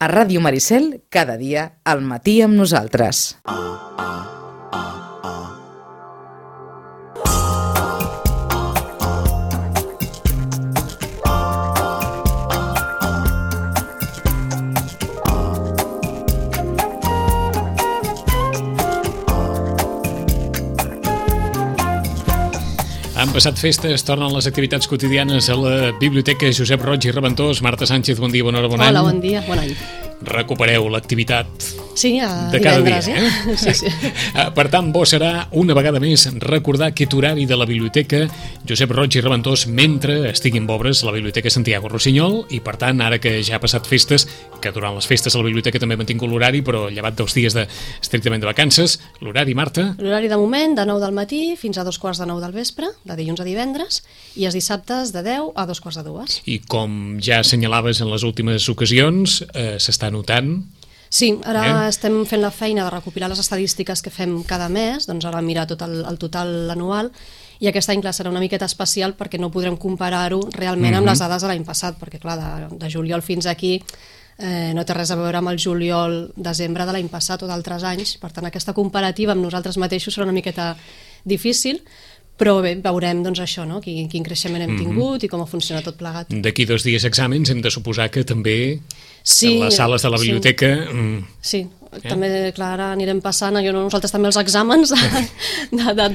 A Ràdio Maricel, cada dia, al matí amb nosaltres. Han passat festes, tornen les activitats quotidianes a la Biblioteca Josep Roig i Reventós. Marta Sánchez, bon dia, bona hora, bon any. Hola, bon dia, bon any. Recupereu l'activitat de cada divendres, dia. Sí. Per tant, bo serà una vegada més recordar aquest horari de la Biblioteca Josep Roig i Reventós mentre estiguin obres la Biblioteca Santiago Rossinyol i, per tant, ara que ja ha passat festes, que durant les festes a la biblioteca també han tingut l'horari, però llevat dels dies estrictament de vacances, l'horari, Marta? L'horari de moment, de 9 del matí fins a 2:15 del vespre, de dilluns a divendres, i els dissabtes de 10 a 2:45. I com ja assenyalaves en les últimes ocasions, s'està notant... Sí, ara estem fent la feina de recopilar les estadístiques que fem cada mes, doncs ara mirar tot el total anual, i aquest any, clar, serà una miqueta especial perquè no podrem comparar-ho realment amb les dades de l'any passat, perquè, clar, de juliol fins aquí no té res a veure amb el juliol-desembre de l'any passat o d'altres anys, per tant, aquesta comparativa amb nosaltres mateixos serà una miqueta difícil, però bé, veurem doncs això, no? Quin creixement hem tingut i com funciona tot plegat. D'aquí 2 dies exàmens hem de suposar que també en les sales de la biblioteca... Sí, també, clar, ara anirem passant nosaltres també els exàmens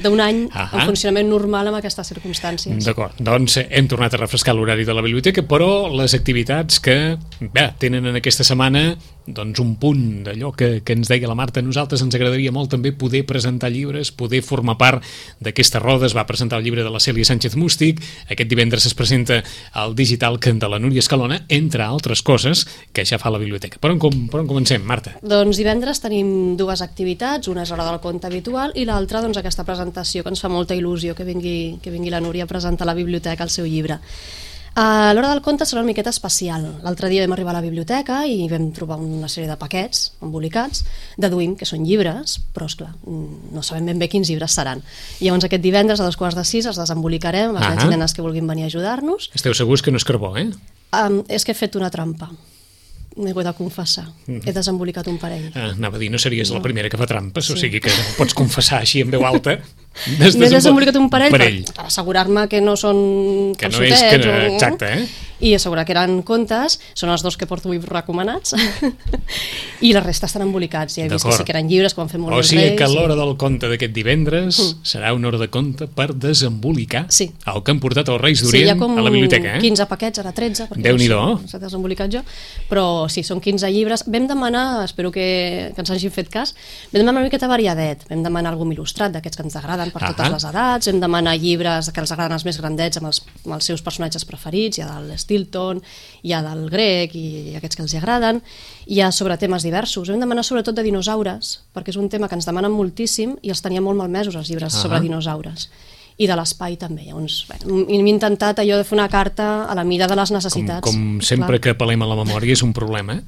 d'un any en funcionament normal amb aquestes circumstàncies. D'acord, doncs hem tornat a refrescar l'horari de la biblioteca, però les activitats que tenen en aquesta setmana doncs un punt d'allò que ens deia la Marta, a nosaltres ens agradaria molt també poder presentar llibres, poder formar part d'aquesta roda. Es va presentar el llibre de la Cèlia Sánchez Mústic, aquest divendres es presenta el digital de la Núria Escalona, entre altres coses que ja fa la biblioteca. Per on comencem, Marta? Doncs divendres tenim 2 activitats, una és l'hora del conte habitual i l'altra doncs aquesta presentació que ens fa molta il·lusió que vingui la Núria a presentar a la biblioteca el seu llibre. A l'hora del conte serà una miqueta especial. L'altre dia vam arribar a la biblioteca i vam trobar una sèrie de paquets embolicats, deduïm que són llibres, però esclar, no sabem ben bé quins llibres seran. I llavors aquest divendres a 2:45 els desembolicarem, els nens i nenes que vulguin venir a ajudar-nos. Esteu segurs que no és carbó, És que he fet una trampa. M'he de confessar. He desembolicat un parell. Anava a dir, no series la primera que fa trampes, o sigui que pots confessar així en veu alta. M'he desembolicat un parell per assegurar-me que no són calçotets. Exacte, I assegurar que eren contes, són els 2 que porto avui recomanats, i la resta estan embolicats. Ja he vist que sí que eren llibres, que ho han fet molt més reis. O sigui que l'hora del conte d'aquest divendres serà una hora de conte per desembolicar el que han portat els Reis d'Orient a la biblioteca. 15 paquets, ara 13, perquè Déu-n'hi-do. S'ha desembolicat jo, però sí, són 15 llibres. Vam demanar, espero que ens hagin fet cas, vam demanar una miqueta variadet, vam demanar algun il·lustrat d'aquests que ens agraden per totes les edats, vam demanar llibres que els agraden els més grandets amb els seus personatges preferits, hi ha del Stilton, hi ha del grec i aquests que els agraden, hi ha sobre temes diversos. Vam demanar sobretot de dinosaures, perquè és un tema que ens demanen moltíssim i els tenia molt malmesos els llibres sobre dinosaures. I de l'espai també. Llavors, hem intentat allò de fer una carta a la mida de les necessitats. Com sempre que apel·lem a la memòria és un problema,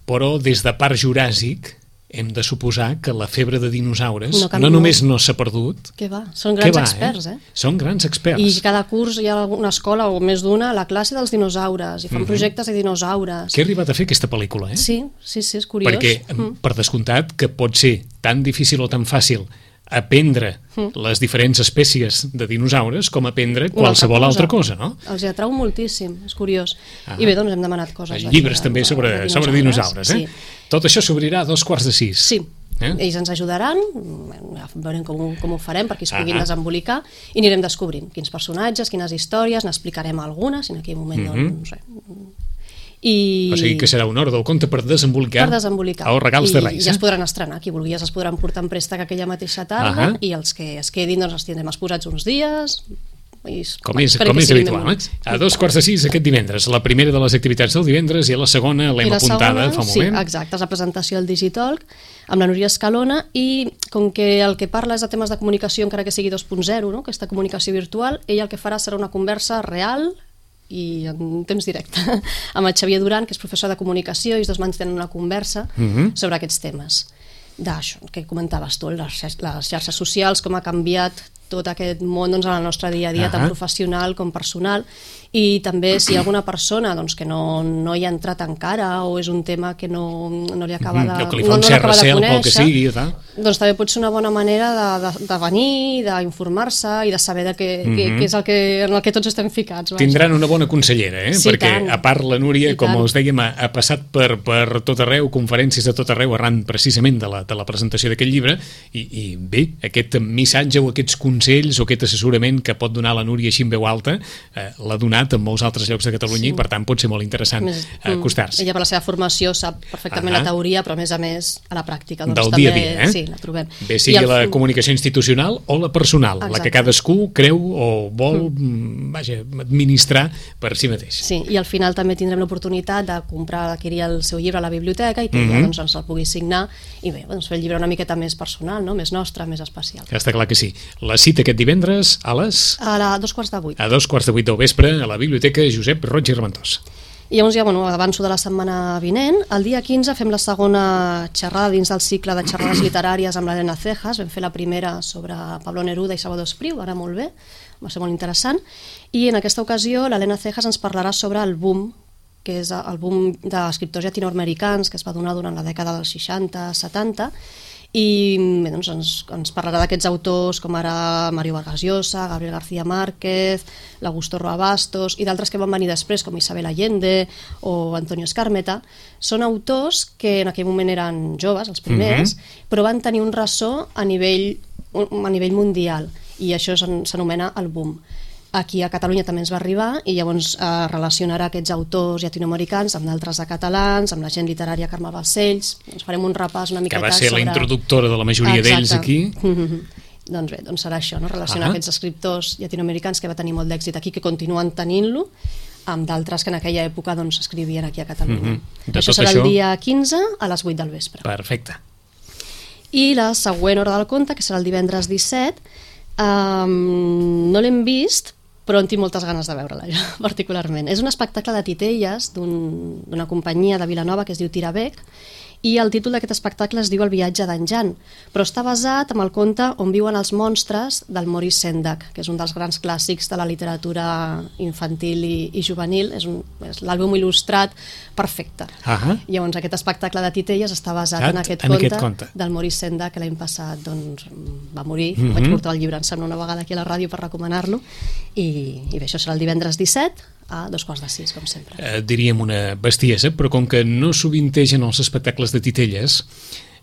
però des de Parc Juràssic hem de suposar que la febre de dinosaures no només no s'ha perdut... Què va? Són grans experts, Són grans experts. I cada curs hi ha una escola o més d'una, la classe dels dinosaures, i fan projectes de dinosaures. Que ha arribat a fer aquesta pel·lícula, Sí, és curiós. Perquè, per descomptat, que pot ser tan difícil o tan fàcil aprendre les diferents espècies de dinosaures com aprendre qualsevol altra cosa, no? Els atrau moltíssim, és curiós. I bé, doncs hem demanat coses. Llibres també sobre dinosaures, Tot això s'obrirà a 5:45. Sí. Ells ens ajudaran, veurem com ho farem perquè es puguin desembolicar i anirem descobrint quins personatges, quines històries, n'explicarem algunes, en aquell moment no sé. O sigui que serà una hora del conte per desembolicar els regals de Reis. I ja es podran estrenar, qui vulgui ja es podran portar en préstec aquella mateixa tarda i els que es quedin doncs els tindrem exposats uns dies. Com és habitual, A 5:45 aquest divendres, la primera de les activitats del divendres, i a la segona l'hem apuntada fa un moment. Sí, exacte, és la presentació del Digitalk amb la Núria Escalona, i com que el que parla és de temes de comunicació, encara que sigui 2.0, no? Aquesta comunicació virtual, ella el que farà serà una conversa real i en temps directe amb el Xavier Duran, que és professor de comunicació, i els dos mantenen una conversa sobre aquests temes d'això que comentaves tu, les xarxes socials, com ha canviat tot aquest món en el nostre dia a dia, tant professional com personal, I també si hi ha alguna persona doncs, que no hi ha entrat encara o és un tema que no li acaba de, que li fa un cert recel pel que sigui, doncs també pot ser una bona manera de venir, d'informar-se i de saber què és en el que tots estem ficats. Tindran una bona consellera, Sí, perquè tant. a part la Núria, com us dèiem, ha passat per tot arreu, conferències de tot arreu arran precisament de la presentació d'aquest llibre i bé, aquest missatge o aquests consells o aquest assessorament que pot donar la Núria així en veu alta l'ha donat en molts altres llocs de Catalunya i per tant pot ser molt interessant acostar-se. Ella per la seva formació sap perfectament la teoria, però a més a la pràctica doncs, del també, dia a dia, sí, la trobem. Bé sigui la comunicació institucional o la personal, la que cadascú creu o vol administrar per si mateix. Sí, i al final també tindrem l'oportunitat de comprar, adquirir el seu llibre a la biblioteca i que ella doncs, ens el pugui signar i bé, doncs, fer el llibre una miqueta més personal, no? Més nostre, més especial. Està clar que sí. La cita aquest divendres a 2:45. A 2:45 del vespre a la Biblioteca Josep Roig i Reventós. I llavors ja, avanço de la setmana vinent. El dia 15 fem la segona xerrada dins del cicle de xerrades literàries amb l'Helena Cejas. Vam fer la primera sobre Pablo Neruda i Salvador Espriu, va anar molt bé, va ser molt interessant. I en aquesta ocasió l'Helena Cejas ens parlarà sobre el boom, que és el boom d'escriptors llatinoamericans que es va donar durant la dècada dels 60-70, i bé, doncs ens parlarà d'aquests autors com ara Mario Vargas Llosa, Gabriel García Márquez, l'Augusto Roa Bastos i d'altres que van venir després com Isabel Allende o Antonio Skármeta. Són autors que en aquell moment eren joves, els primers, però van tenir un ressò a nivell mundial i això s'anomena el boom. Aquí a Catalunya també ens va arribar i llavors relacionarà aquests autors llatinoamericans amb d'altres de catalans, amb la gent literària Carme Balcells. Ens farem un repàs una miqueta sobre... Que va ser la introductora de la majoria d'ells aquí. Doncs bé, doncs serà això, no? Relacionar aquests escriptors llatinoamericans que va tenir molt d'èxit aquí, que continuen tenint-lo, amb d'altres que en aquella època doncs, escrivien aquí a Catalunya. Això serà el dia 15 a les 8 del vespre. Perfecte. I la següent hora del conte, que serà el divendres 17, no l'hem vist, però en tinc moltes ganes de veure-la, particularment. És un espectacle de titelles d'una companyia de Vilanova que es diu Tirabec, i el títol d'aquest espectacle es diu El viatge d'en Jan, però està basat en el conte On viuen els monstres del Maurice Sendak, que és un dels grans clàssics de la literatura infantil i juvenil. És l'àlbum il·lustrat perfecte. Llavors aquest espectacle de titelles està basat en aquest conte del Maurice Sendak, que l'any passat doncs, va morir. Vaig portar el llibre, em sembla, una vegada aquí a la ràdio per recomanar-lo, i bé, això serà el divendres 17 a 5:45, com sempre. Diríem una bestiesa, però com que no sovintegen els espectacles de titelles,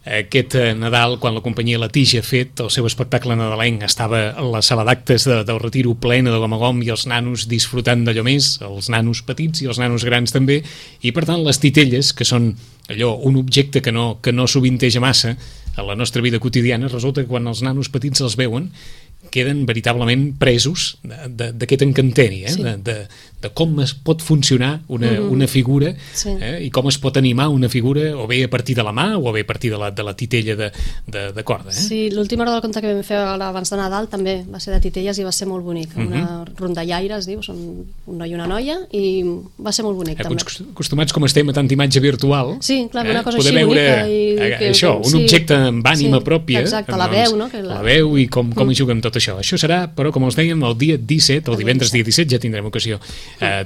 aquest Nadal, quan la companyia La Tija ha fet el seu espectacle nadalenc, estava a la sala d'actes del Retiro plena de gom a gom i els nanos disfrutant d'allò més, els nanos petits i els nanos grans també, i per tant les titelles, que són allò, un objecte que no sovinteja massa a la nostra vida quotidiana, resulta que quan els nanos petits els veuen queden veritablement presos d'aquest encanteri, de com es pot funcionar una figura i com es pot animar una figura o bé a partir de la mà o bé a partir de la titella de corda. Sí, l'última hora del conte que vam fer abans de Nadal també va ser de titelles i va ser molt bonic. Una rondallaire, es diu, són un noi i una noia, i va ser molt bonic també. Acostumats com estem a tanta imatge virtual, sí, clar, una cosa poder així veure bonica això, un objecte amb ànima pròpia. Exacte, la veu, no? La veu i com hi juga amb tot això. Això serà, però com els dèiem, el dia 17, el divendres dia 17, ja tindrem ocasió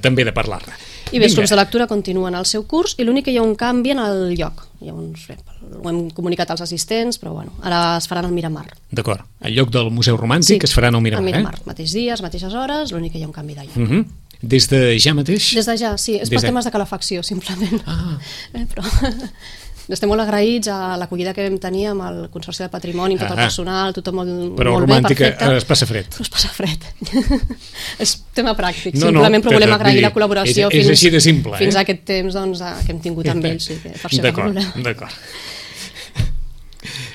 també de parlar-ne. I bé, els clubs de lectura continuen el seu curs i l'únic que hi ha un canvi en el lloc. Llavors, bé, ho hem comunicat als assistents, però bueno, ara es faran al Miramar. D'acord, el lloc del Museu Romàntic es faran al Miramar. Al Miramar, mateix dies, mateixes hores, l'únic que hi ha un canvi de lloc. Des de ja mateix? Des de ja, sí, és per temes de calefacció, simplement. Però estem molt agraïts a l'acollida que vam tenir amb el Consorci de Patrimoni, amb tot el personal, tothom molt bé, perfecte. Però romàntica es passa fred. No es passa fred. És tema pràctic, simplement, però volem agrair la col·laboració és així de simple, fins a aquest temps que hem tingut amb ells. D'acord.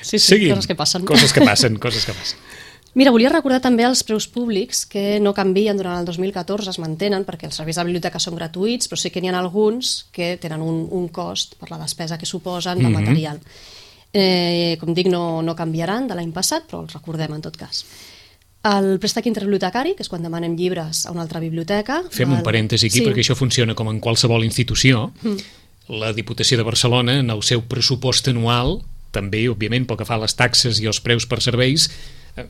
Sí, coses que passen. Coses que passen. Mira, volia recordar també els preus públics que no canvien durant el 2014, es mantenen perquè els serveis de biblioteca són gratuïts, però sí que n'hi ha alguns que tenen un cost per la despesa que suposen de material. Com dic, no canviaran de l'any passat, però els recordem en tot cas. El préstec interbibliotecari, que és quan demanem llibres a una altra biblioteca. Fem un parèntesi aquí, perquè això funciona com en qualsevol institució. La Diputació de Barcelona, en el seu pressupost anual, també, òbviament, pel que fa a les taxes i els preus per serveis,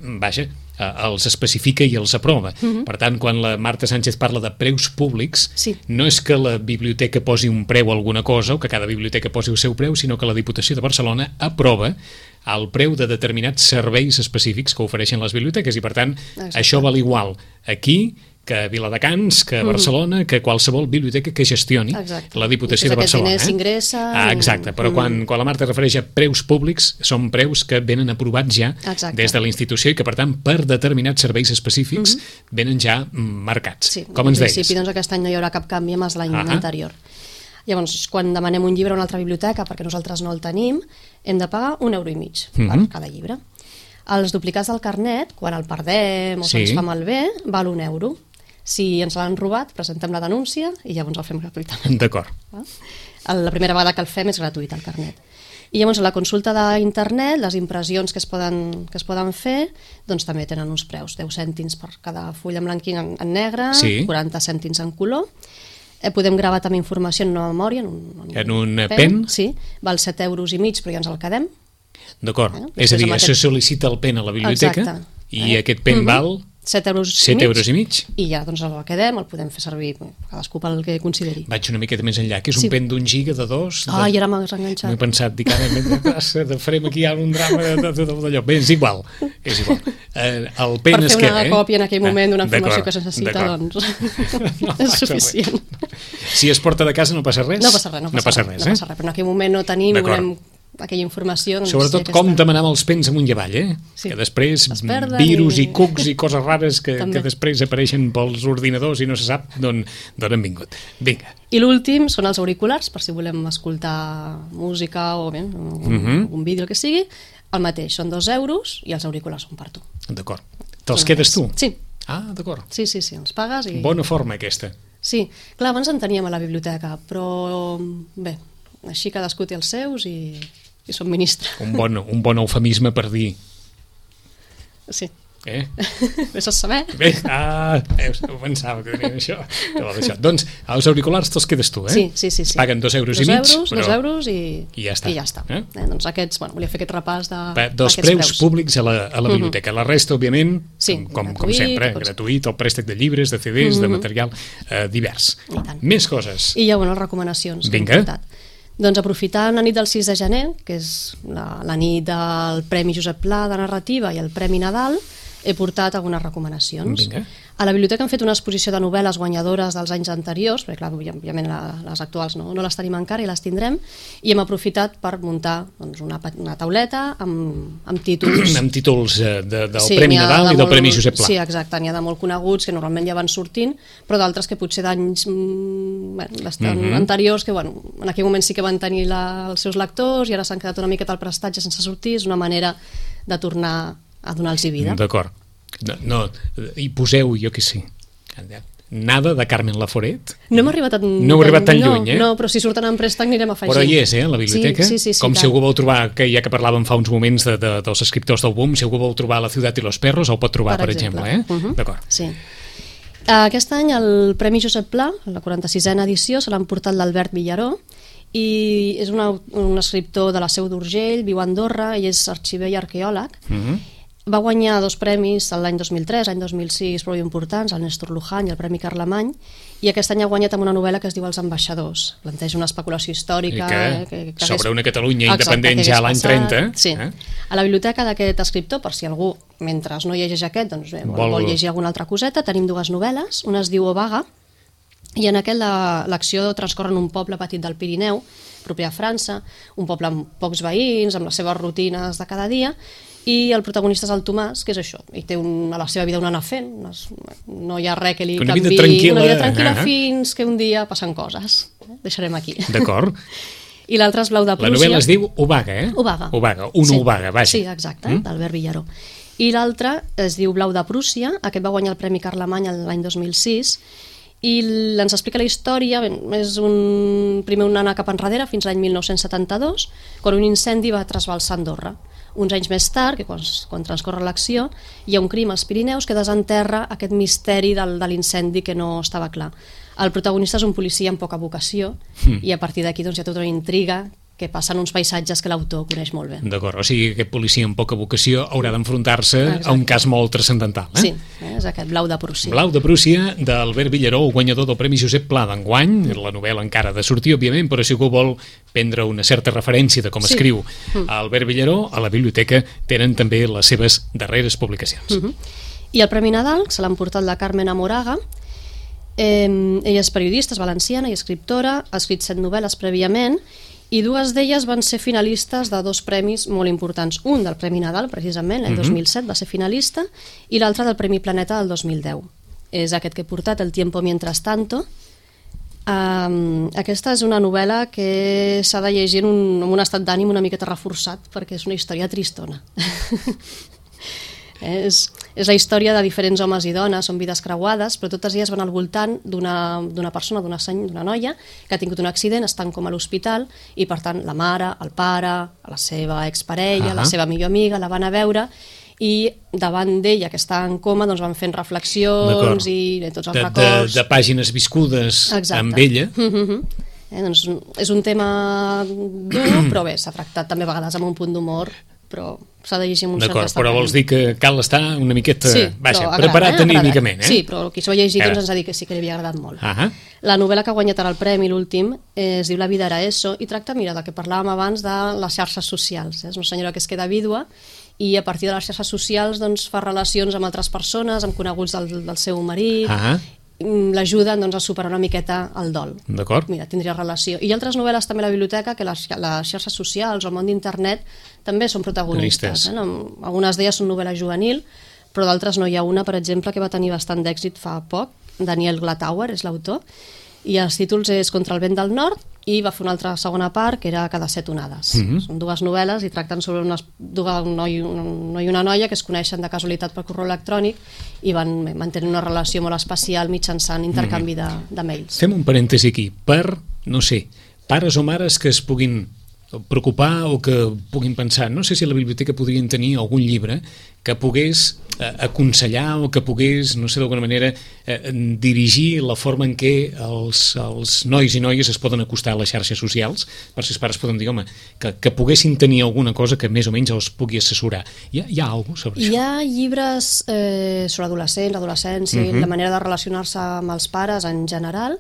vaja, els especifica i els aprova. Per tant, quan la Marta Sánchez parla de preus públics, Sí. no és que la biblioteca posi un preu a alguna cosa o que cada biblioteca posi el seu preu, sinó que la Diputació de Barcelona aprova el preu de determinats serveis específics que ofereixen les biblioteques i, per tant, Exacte. això val igual aquí que a Viladecans, que a Barcelona, que qualsevol biblioteca que gestioni Exacte. la Diputació de I tots Barcelona. aquests diners s'ingressen Exacte, però quan la Marta refereix a preus públics, són preus que venen aprovats ja Exacte. des de la institució i que, per tant, per determinats serveis específics venen ja marcats. Sí, Com en ens deies? principi, doncs, aquest any no hi haurà cap canvi amb els l'any anterior. Llavors, quan demanem un llibre a una altra biblioteca, perquè nosaltres no el tenim, hem de pagar €1,50 per cada llibre. Els duplicats del carnet, quan el perdem o Sí. se'ns fa malbé, val €1. Si ens l'han robat, presentem la denúncia i llavors el fem gratuïtament. D'acord. La primera vegada que el fem és gratuït, el carnet. I llavors a la consulta d'internet, les impressions que es poden fer, doncs també tenen uns preus, 10 cèntims per cada full en blanc i en negre, Sí. 40 cèntims en color. Podem gravar també informació en una memòria, En un pen? Sí, val €7,50, però ja ens el quedem. D'acord. Després És a dir, amb això aquest- sol·licita el pen a la biblioteca Exacte. i aquest pen val €7,50. €7,50. I ja doncs el quedem, el podem fer servir cadascú pel que consideri. Vaig una miqueta més enllà, que és un Sí. pen d'1 giga, de 2... I ara m'has M'he enganxat. pensat, dic, ara farem aquí un drama d'allò. Bé, és igual. El pen Per es fer queda, una còpia en aquell moment d'una informació D'acord, que es necessita, d'acord. doncs No és passa suficient. res. Si es porta de casa no passa res? No passa res, no passa res, però en aquell moment no tenim, D'acord. volem aquella informació. Doncs, Sobretot sí, com aquesta. demanam els pens amunt i avall, Sí. que després Es perden virus i i- cucs i coses rares que També. després apareixen pels ordinadors i no se sap d'on han vingut. Vinga. I l'últim són els auriculars, per si volem escoltar música o bé, un vídeo, el que sigui. El mateix, són €2 i els auriculars són per tu. D'acord. Te'ls quedes tu? Sí. D'acord. Sí, els pagues i... Bona forma, aquesta. Sí, clar, abans en teníem a la biblioteca, però bé, així cadascú té els seus i subministra. Un bon eufemisme per dir... Sí. Vés a saber. Bé, ho pensava que tenien això. Doncs els auriculars te'ls quedes tu, Sí. Es paguen €2,50. €2 i ja està. I ja està. Doncs aquests, volia fer aquest repàs dels preus públics a la biblioteca. La resta, òbviament, Sí, com gratuït, sempre, gratuït, el préstec de llibres, de CDs, de material divers. I tant. Més coses. I ja, les recomanacions que hem Vinga. portat. Doncs aprofitant la nit del 6 de gener, que és la nit del Premi Josep Pla de Narrativa i el Premi Nadal, he portat algunes recomanacions. Vinga. A la biblioteca hem fet una exposició de novel·les guanyadores dels anys anteriors, perquè clar, òbviament les actuals no les tenim encara i les tindrem, i hem aprofitat per muntar doncs, una tauleta amb títols... Amb títols del Sí, Premi n'hi ha Nadal de i del molt- Premi Josep Pla. Sí, exacte, n'hi ha de molt coneguts que normalment ja van sortint, però d'altres que potser d'anys bastant anteriors que en aquell moment sí que van tenir els seus lectors i ara s'han quedat una miqueta al prestatge sense sortir, és una manera de tornar a donar-los vida. D'acord. No, hi poseu, jo què sé, nada de Carmen Laforet. No hem arribat tan, No heu arribat tan lluny, No, però si surten en préstec anirem afegint. Però hi és, a la biblioteca. Sí, Com tant. si algú vol trobar, que ja que parlàvem fa uns moments dels escriptors del boom, si algú vol trobar La ciutat i los perros, el pot trobar, per exemple. D'acord. Sí. Aquest any el Premi Josep Pla, la 46a edició, se l'ha emportat l'Albert Villaró, i és un escriptor de la Seu d'Urgell, viu a Andorra, i és arxiver i arqueòleg. Va guanyar 2 premis l'any 2003, l'any 2006, prou importants, el Néstor Luján i el Premi Carlemany, i aquest any ha guanyat amb una novel·la que es diu Els ambaixadors. Planteja una especulació històrica... que sobre una Catalunya independent ja a l'any 30. Sí. A la biblioteca d'aquest escriptor, per si algú, mentre no llegeix aquest, doncs bé, vol llegir alguna altra coseta, tenim 2 novel·les. Una es diu Obaga, i en aquest l'acció transcorre en un poble petit del Pirineu, proper a França, un poble amb pocs veïns, amb les seves rutines de cada dia, i el protagonista és el Tomàs, que és això, i té a la seva vida un anar fent, no hi ha res que li una canvi, vida tranquil·la, una vida tranquil·la fins que un dia passen coses. Deixarem aquí. D'acord. I l'altre és Blau de Prússia. La novel·la es diu Obaga, Obaga. Obaga, vaja. Sí, exacte, d'Albert Villaró. I l'altre es diu Blau de Prússia, aquest va guanyar el Premi Carlemany l'any 2006, i ens explica la història, és primer un anar cap enrere fins l'any 1972, quan un incendi va trasbalsar Andorra. Uns anys més tard, que quan transcorre l'acció, hi ha un crim als Pirineus que desenterra aquest misteri de l'incendi que no estava clar. El protagonista és un policia amb poca vocació i a partir d'aquí doncs, hi ha tota una intriga que passen uns paisatges que l'autor coneix molt bé. D'acord, o sigui que aquest policia amb poca vocació haurà d'enfrontar-se a un cas molt transcendental. Sí, és aquest Blau de Prússia. Blau de Prússia, d'Albert Villaró, guanyador del Premi Josep Pla d'enguany. La novel·la encara ha de sortir, òbviament, però si algú vol prendre una certa referència de com escriu Albert Villaró, a la biblioteca tenen també les seves darreres publicacions. I el Premi Nadal se l'han portat la Carmen Amoraga. Ella és periodista, és valenciana i escriptora, ha escrit 7 novel·les prèviament i 2 d'elles van ser finalistes de 2 premis molt importants. Un del Premi Nadal, precisament, el 2007 va ser finalista, i l'altre del Premi Planeta del 2010. És aquest que he portat, El tiempo mientras tanto. Aquesta és una novel·la que s'ha de llegir amb un estat d'ànim una miqueta reforçat, perquè és una història tristona. És la història de diferents homes i dones, són vides creuades, però totes elles van al voltant d'una persona, d'una noia que ha tingut un accident, estan com a l'hospital i per tant la mare, el pare, la seva exparella, la seva millor amiga la van a veure i davant d'ella que està en coma doncs van fent reflexions i tots els records de pàgines viscudes amb ella. Doncs és un tema dur, però bé, s'ha tractat també a vegades amb un punt d'humor, però s'ha de llegir amb un cert estat. Però vols dir que cal estar una miqueta preparat anímicament, Sí, però qui s'ho ha llegit ens ha dit que sí que li havia agradat molt. La novel·la que ha guanyat ara el premi, l'últim, es diu La vida era eso i tracta, mira, del que parlàvem abans de les xarxes socials. És una senyora que es queda vídua i a partir de les xarxes socials doncs, fa relacions amb altres persones, amb coneguts del seu marit, l'ajuden doncs, a superar una miqueta el dol. D'acord. Mira, tindria relació. I hi ha altres novel·les també a la biblioteca que les xarxes socials o el món d'internet també són protagonistes. Algunes d'elles són novel·la juvenil, però d'altres no. Hi ha una, per exemple, que va tenir bastant d'èxit fa poc, Daniel Glatauer és l'autor, i els títols és Contra el vent del nord i va fer una altra segona part que era Cada 7 onades. Són 2 novel·les i tracten sobre un noi i una noia que es coneixen de casualitat per correu electrònic i van mantenir una relació molt especial mitjançant intercanvi de mails. Fem un parèntesi aquí. Per, no sé, pares o mares que es puguin preocupar o que puguin pensar, no sé si a la biblioteca podrien tenir algun llibre que pogués aconsellar o que pogués, no sé, d'alguna manera dirigir la forma en què els nois i noies es poden acostar a les xarxes socials, per si els pares poden dir, home, que poguessin tenir alguna cosa que més o menys els pugui assessorar. Hi ha alguna cosa sobre això? Hi ha llibres sobre adolescents, adolescència, la manera de relacionar-se amb els pares en general,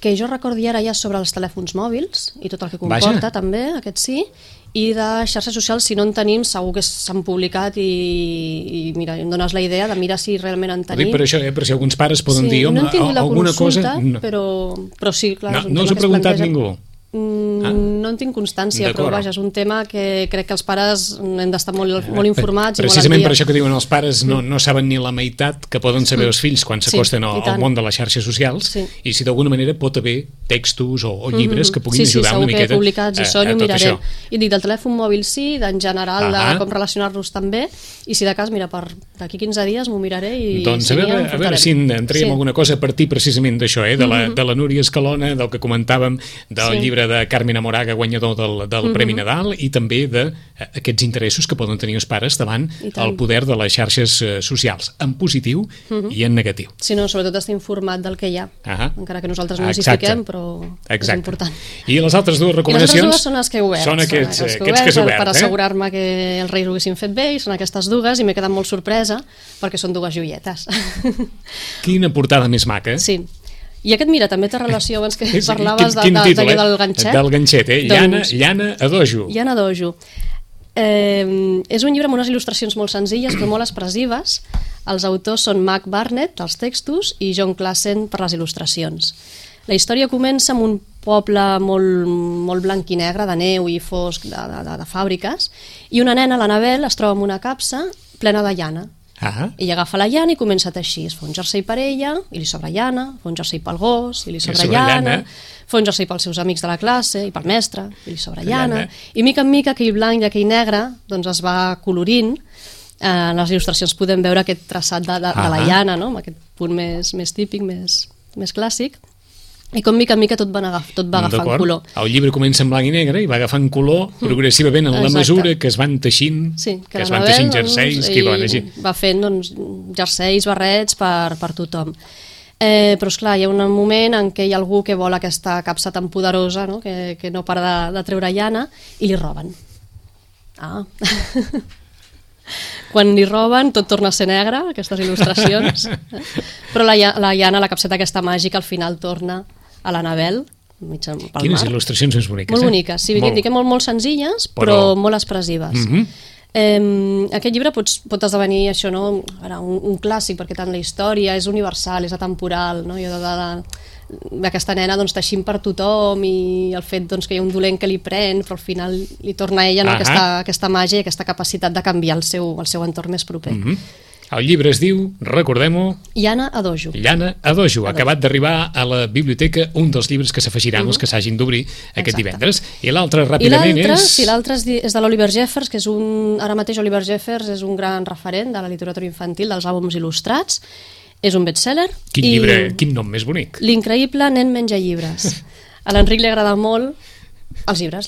que jo recordi ara ja sobre els telèfons mòbils i tot el que comporta també, aquest sí, i de xarxes socials, si no en tenim, segur que s'han publicat i mira, em dones la idea de mirar si realment en tenim. Per això, per si alguns pares poden dir, home, alguna cosa... Però sí, clar, és un no us ha preguntat ningú? No en tinc constància, però vaja, és un tema que crec que els pares hem d'estar molt informats. Precisament per això que diuen els pares no saben ni la meitat que poden saber els fills quan s'acosten al món de les xarxes socials i si d'alguna manera pot haver textos o llibres que puguin ajudar una miqueta a tot això. Sí, segur que publicats hi són i ho mirarem. I dic del telèfon mòbil sí, d'en general de com relacionar-los també, i si de cas, mira, d'aquí 15 dies m'ho miraré i doncs a veure si en traiem alguna cosa a partir precisament d'això, de la Núria Escalona, del que comentàvem, del llibre de Carmen Amoraga, guanyador del Premi Nadal, i també d'aquests interessos que poden tenir els pares davant el poder de les xarxes socials, en positiu i en negatiu. Sí, no, sobretot estar informat del que hi ha, encara que nosaltres no ens hi fiquem, però és important. I les altres dues recomanacions? I les altres dues són les que he obert. Són aquests que has obert, per assegurar-me que els Reis ho haguessin fet bé, i són aquestes dues, i m'he quedat molt sorpresa, perquè són dues joietes. Quina portada més maca. Sí. I aquest, mira, també té relació, abans que parlaves d'allò del ganxet. Del ganxet, Llana Adojo. Llana Adojo. És un llibre amb unes il·lustracions molt senzilles però molt expressives. Els autors són Mac Barnett, dels textos, i John Klassen per les il·lustracions. La història comença amb un poble molt blanc i negre, de neu i fosc, de fàbriques, i una nena, l'Anabel, es troba en una capsa plena de llana. Ella agafa la llana i comença a teixir. Es fa un jersei per ella i li sobra llana, fa un jersei pel gos i li sobra llana, fa un jersei pels seus amics de la classe i pel mestre i li sobra llana. I mica en mica aquell blanc i aquell negre doncs es va colorint. En les il·lustracions podem veure aquest traçat de la llana, amb aquest punt més típic, més clàssic. I com mica en mica tot va agafant color. El llibre comença en blanc i negre i va agafant color progressivament en la mesura que es van teixint, que es van teixint jerseis, va fent jerseis, barrets per tothom. Però esclar, hi ha un moment en què hi ha algú que vol aquesta capsa tan poderosa, no? Que no para de treure llana, i li roben. Quan li roben tot torna a ser negre, aquestes il·lustracions, però la llana, la capseta aquesta màgica, al final torna a l'Anabel, mig pel mar. Quines il·lustracions més boniques, molt boniques, sí, molt senzilles, però molt expressives. Aquest llibre pot esdevenir això, no? un clàssic, perquè tant la història és universal, és atemporal, no? Aquesta nena teixint per tothom, i el fet que hi ha un dolent que li pren, però al final li torna a ella aquesta màgia i aquesta capacitat de canviar el seu entorn més proper. El llibre es diu, recordem-ho... Llana Adojo. Llana Adojo. Acabat d'arribar a la biblioteca, un dels llibres que s'afegiran els que s'hagin d'obrir aquest divendres. I l'altre, ràpidament, és... Sí, l'altre és de l'Oliver Jeffers, que és ara mateix Oliver Jeffers és un gran referent de la literatura infantil, dels àlbums il·lustrats. És un bestseller. Quin llibre, quin nom més bonic. L'increïble nen menja llibres. A l'Enric li agrada molt els llibres,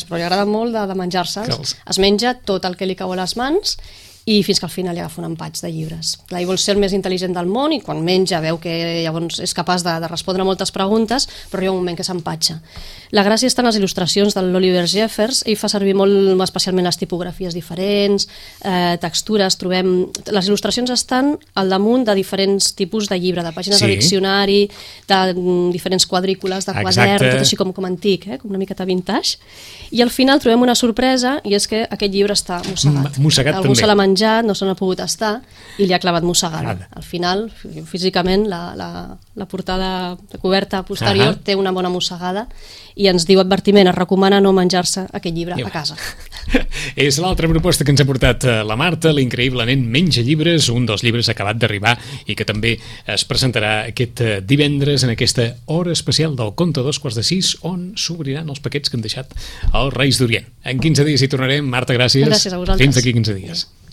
però li agrada molt de menjar-se'ls. Es menja tot el que li cau a les mans i fins que al final li agafa un empatx de llibres. Clar, ell vol ser el més intel·ligent del món i quan menja veu que llavors és capaç de respondre moltes preguntes, però hi ha un moment que s'empatxa. La gràcia està en les il·lustracions de l'Oliver Jeffers. Ell fa servir molt especialment les tipografies diferents, textures, les il·lustracions estan al damunt de diferents tipus de llibre, de pàgines de diccionari, de diferents quadrícules, de quadern, tot així com antic, com una miqueta vintage. I al final trobem una sorpresa, i és que aquest llibre està mossegat. Algú se l'ha menjat, no se n'ha pogut estar i li ha clavat mossegada. Al final, físicament, la portada de coberta posterior té una bona mossegada i ens diu advertiment, es recomana no menjar-se aquest llibre a casa. És l'altra proposta que ens ha portat la Marta, l'increïble nen menja llibres, un dels llibres acabat d'arribar i que també es presentarà aquest divendres en aquesta hora especial del Conte a 2:45, on s'obriran els paquets que han deixat els Reis d'Orient. En 15 dies hi tornarem. Marta, gràcies. Gràcies a vosaltres. Fins d'aquí 15 dies.